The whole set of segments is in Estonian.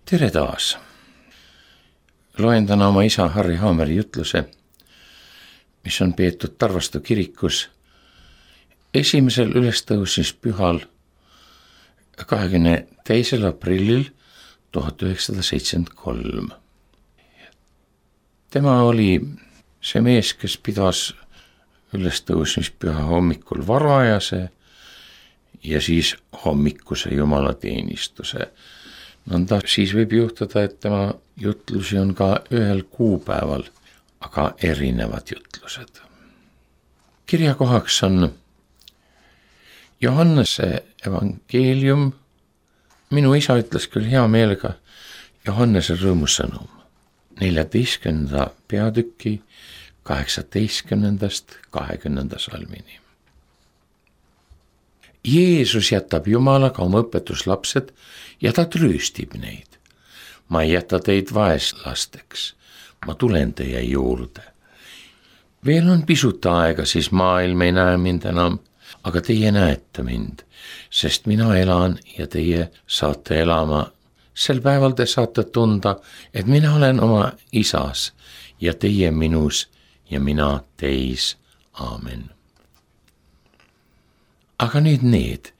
Tere taas! Loen täna oma isa Harri Haameri jutluse, mis on peetud Tarvastu kirikus esimesel ülestõusmispühal 22. aprillil 1973. Tema oli see mees, kes pidas ülestõusmispüha hommikul varajase ja siis hommikuse jumalateenistuse. Nõnda siis võib juhtuda, et tema jutlusi on ka ühel kuupäeval, aga erinevad jutlused. Kirjakohaks on Johannese evangeelium. Minu isa ütles küll hea meelega Johannese rõõmusõnum 14. peatüki 18. 20. salmini. Jeesus jätab Jumalaga oma õpetuslapsed ja ta trööstib neid. Ma ei jäta teid vaeslasteks, ma tulen teie juurde. Veel on pisut aega, siis maailm ei näe mind enam, aga teie näete mind, sest mina elan ja teie saate elama. Sel päeval te saate tunda, et mina olen oma isas ja teie minus ja mina teis. Aamen. Aga nüüd need,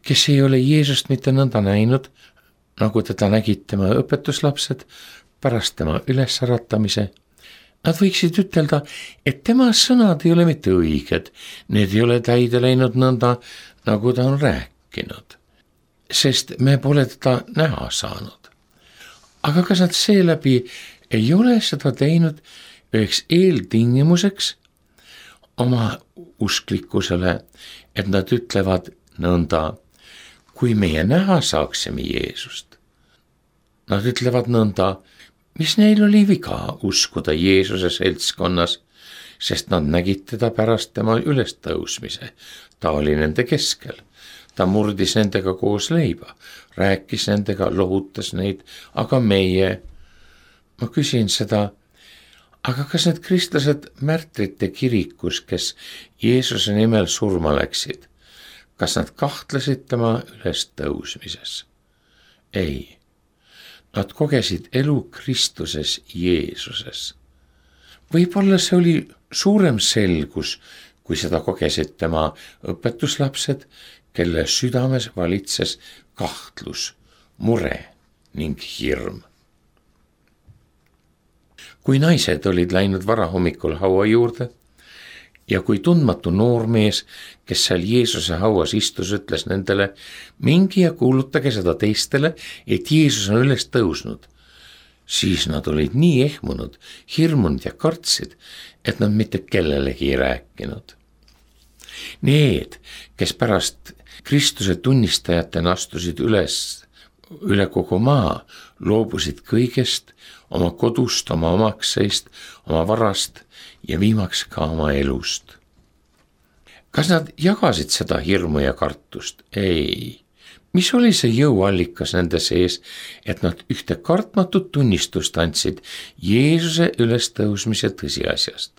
kes ei ole Jeesust mitte nõnda näinud, nagu teda nägid tema õpetuslapsed pärast tema ülesäratamise, nad võiksid ütelda, et tema sõnad ei ole mitte õiged, need ei ole täide läinud nõnda, nagu ta on rääkinud, sest me pole teda näha saanud. Aga kas nad seeläbi ei ole seda teinud üheks eeltingimuseks oma usklikkusele, et nad ütlevad nõnda, kui meie näha saaksime Jeesust. Nad ütlevad nõnda, mis neil oli viga uskuda Jeesuse seltskonnas, sest nad nägid teda pärast tema ülestõusmise. Ta oli nende keskel. Ta murdis nendega koos leiba, rääkis nendega, lohutas neid, aga meie, ma küsin seda, aga kas need kristlased märtrite kirikus, kes Jeesuse nimel surma läksid, kas nad kahtlesid tema ülestõusmises? Ei, nad kogesid elu Kristuses Jeesuses. Võib-olla see oli suurem selgus, kui seda kogesid tema õpetuslapsed, kelle südames valitses kahtlus, mure ning hirm. Kui naised olid läinud varahommikul haua juurde ja kui tundmatu noormees, kes seal Jeesuse hauas istus, ütles nendele, mingi ja kuulutage seda teistele, et Jeesus on üles tõusnud, siis nad olid nii ehmunud, hirmunud ja kartsid, et nad mitte kellelegi ei rääkinud. Need, kes pärast Kristuse tunnistajatena astusid üle kogu maa, loobusid kõigest, oma kodust, oma omakseist, oma varast ja viimaks ka oma elust. Kas nad jagasid seda hirmu ja kartust? Ei. Mis oli see jõuallikas nende sees, et nad ühte kartmatut tunnistust andsid Jeesuse ülestõusmise tõsiasjast?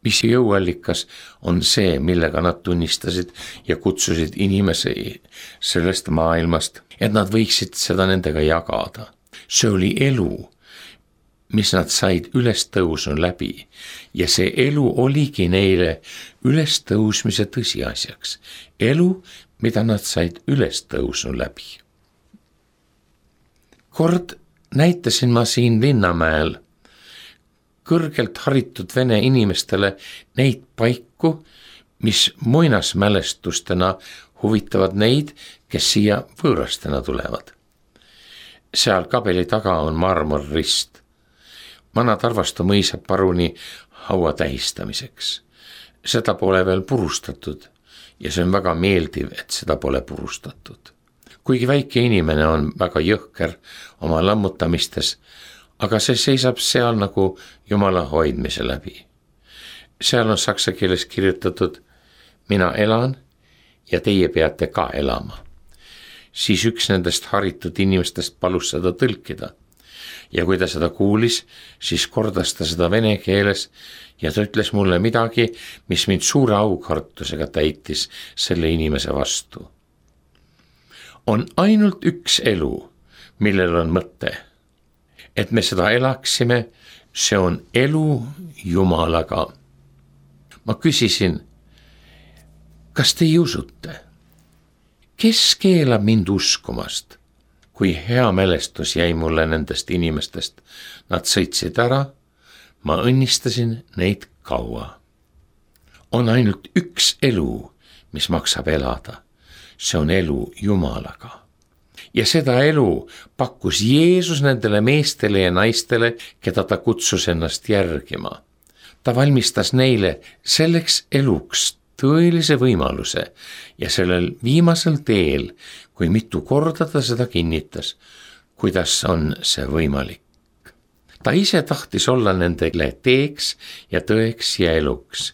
Mis jõuallikas on see, millega nad tunnistasid ja kutsusid inimesi sellest maailmast, et nad võiksid seda nendega jagada? See oli elu, mis nad said ülestõusnu läbi ja see elu oligi neile ülestõusmise tõsiasjaks. Elu, mida nad said ülestõusnu läbi. Kord näitasin ma siin Linnamäel kõrgelt haritud vene inimestele neid paiku, mis muinasmälestustena huvitavad neid, kes siia võõrastena tulevad. Seal kabeli taga on marmorrist. Vana Tarvastu mõisa paruni haua tähistamiseks. Seda pole veel purustatud ja see on väga meeldiv, et seda pole purustatud. Kuigi väike inimene on väga jõhker oma lammutamistes, aga see seisab seal nagu Jumala hoidmise läbi. Seal on saksa keeles kirjutatud, mina elan ja teie peate ka elama. Siis üks nendest haritud inimestest palus seda tõlkida. Ja kui ta seda kuulis, siis kordas ta seda vene keeles ja ta ütles mulle midagi, mis mind suure aukartusega täitis selle inimese vastu. On ainult üks elu, millel on mõte. Et me seda elaksime, see on elu Jumalaga. Ma küsisin, kas te usute? Kes keelab mind uskumast? Kui hea mälestus jäi mulle nendest inimestest, nad sõitsid ära, ma õnnistasin neid kaua. On ainult üks elu, mis maksab elada. See on elu Jumalaga. Ja seda elu pakkus Jeesus nendele meestele ja naistele, keda ta kutsus ennast järgima. Ta valmistas neile selleks eluks tõelise võimaluse ja sellel viimasel teel, kui mitu korda ta seda kinnitas, kuidas on see võimalik. Ta ise tahtis olla nendele teeks ja tõeks ja eluks.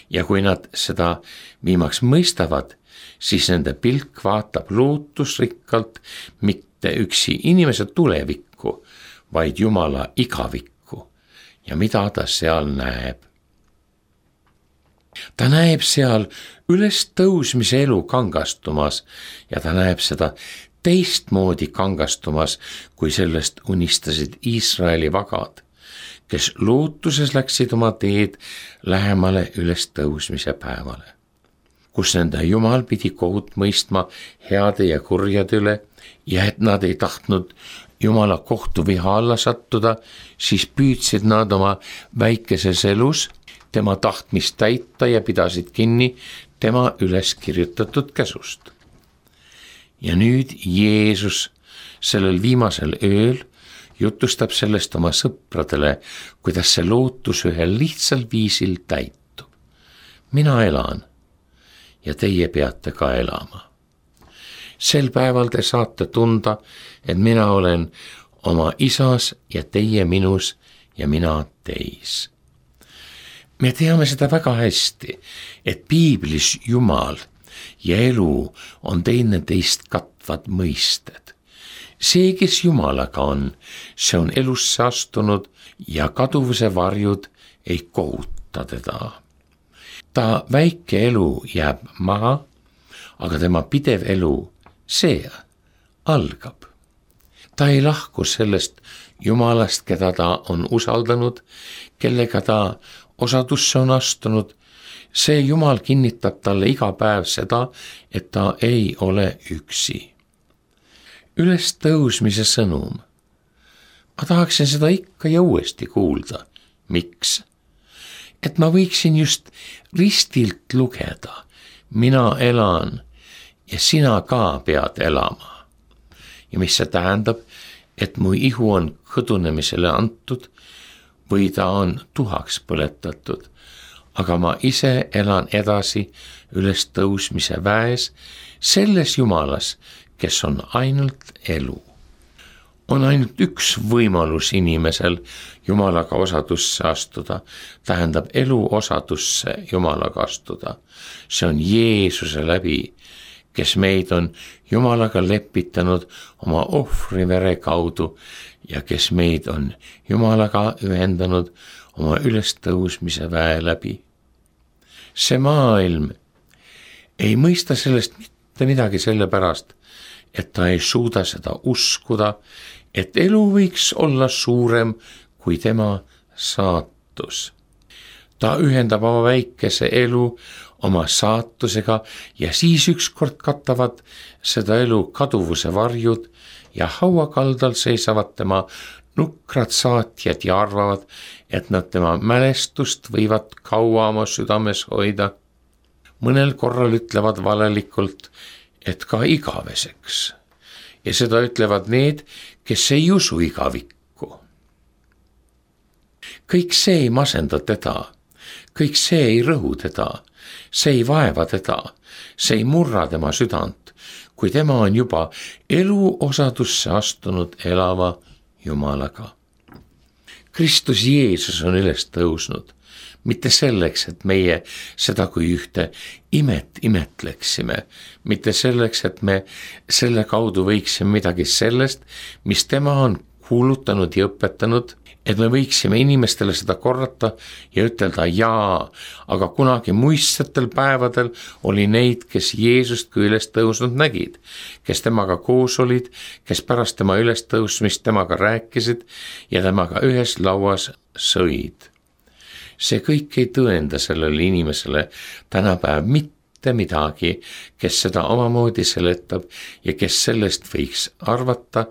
Ja kui nad seda viimaks mõistavad, siis nende pilk vaatab lootusrikkalt mitte üksi inimese tulevikku, vaid Jumala igavikku ja mida ta seal näeb. Ta näeb seal ülestõusmise elu kangastumas ja ta näeb seda teistmoodi kangastumas, kui sellest unistasid Iisraeli vagad, kes lootuses läksid oma teed lähemale ülestõusmise päevale, kus nende Jumal pidi kohut mõistma heade ja kurjade üle ja et nad ei tahtnud Jumala kohtuviha alla sattuda, siis püüdsid nad oma väikeses elus tema tahtmist täita ja pidasid kinni tema üles kirjutatud käsust. Ja nüüd Jeesus sellel viimasel ööl jutustab sellest oma sõpradele, kuidas see lootus ühel lihtsal viisil täitub. Mina elan ja teie peate ka elama. Sel päeval te saate tunda, et mina olen oma isas ja teie minus ja mina teis. Me teame seda väga hästi, et piiblis Jumal ja elu on teineteist katvad mõisted. See, kes Jumalaga on, see on elusse astunud ja kaduvuse varjud ei kohuta teda. Ta väike elu jääb maha, aga tema pidev elu, see algab. Ta ei lahku sellest Jumalast, keda ta on usaldanud, kellega ta osadusse on astunud. See Jumal kinnitab talle iga päev seda, et ta ei ole üksi. Ülestõusmise sõnum. Ma tahaksin seda ikka ja uuesti kuulda. Miks? Et ma võiksin just ristilt lugeda. Mina elan ja sina ka pead elama. Ja mis see tähendab, et mu ihu on kõdunemisele antud või ta on tuhaks põletatud, aga ma ise elan edasi ülestõusmise väes selles Jumalas, kes on ainult elu. On ainult üks võimalus inimesel Jumalaga osadusse astuda, tähendab elu osadusse Jumalaga astuda. See on Jeesuse läbi, kes meid on Jumalaga lepitanud oma ohvrivere kaudu ja kes meid on Jumalaga ühendanud oma ülestõusmise väe läbi. See maailm ei mõista sellest mitte midagi sellepärast, et ta ei suuda seda uskuda, et elu võiks olla suurem kui tema saatus. Ta ühendab oma väikese elu oma saatusega ja siis ükskord katavad seda elu kaduvuse varjud ja hauakaldal seisavad tema nukrad saatjad ja arvavad, et nad tema mälestust võivad kaua oma südames hoida. Mõnel korral ütlevad valelikult, et ka igaveseks. Ja seda ütlevad need, kes ei usu igavikku. Kõik see ei masenda teda, kõik see ei rõhu teda, see ei vaeva teda, see ei murra tema südant, kui tema on juba elu osadusse astunud elava Jumalaga. Kristus Jeesus on üles tõusnud, mitte selleks, et meie seda kui ühte imet imetleksime, mitte selleks, et me selle kaudu võiksime midagi sellest, mis tema on kuulutanud ja õpetanud, et me võiksime inimestele seda korrata ja ütelda jaa, aga kunagi muistsetel päevadel oli neid, kes Jeesust kui üles tõusnud nägid, kes temaga koos olid, kes pärast tema üles tõusmist temaga rääkisid ja temaga ühes lauas sõid. See kõik ei tõenda sellele inimesele tänapäev mitte midagi, kes seda omamoodi seletab ja kes sellest võiks arvata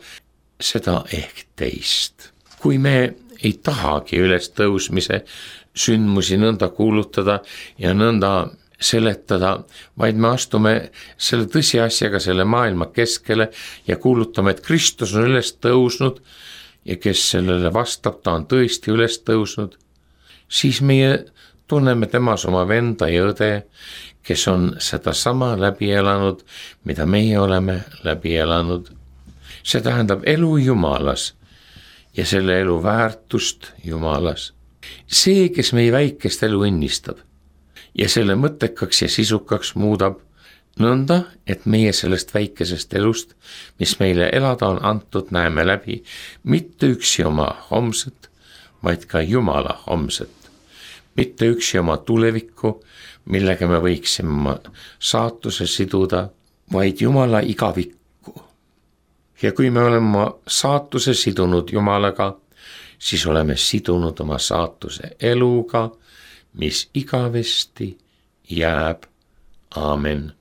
seda ehk teist. Kui me ei tahagi ülestõusmise sündmusi nõnda kuulutada ja nõnda seletada, vaid me astume selle tõsiasjaga selle maailma keskele ja kuulutame, et Kristus on üles tõusnud ja kes sellele vastab, ta on tõesti üles tõusnud, siis meie tunneme temas oma venda ja õde, kes on sedasama läbi elanud, mida meie oleme läbi elanud. See tähendab elu Jumalas ja selle elu väärtust Jumalas. See, kes meie väikest elu õnnistab ja selle mõttekaks ja sisukaks muudab nõnda, et meie sellest väikesest elust, mis meile elada on antud, näeme läbi mitte üksi oma homset, vaid ka Jumala homset. Mitte üksi oma tulevikku, millega me võiksime oma saatuse siduda, vaid Jumala igavikku. Ja kui me oleme oma saatuse sidunud Jumalaga, siis oleme sidunud oma saatuse eluga, mis igavesti jääb. Aamen.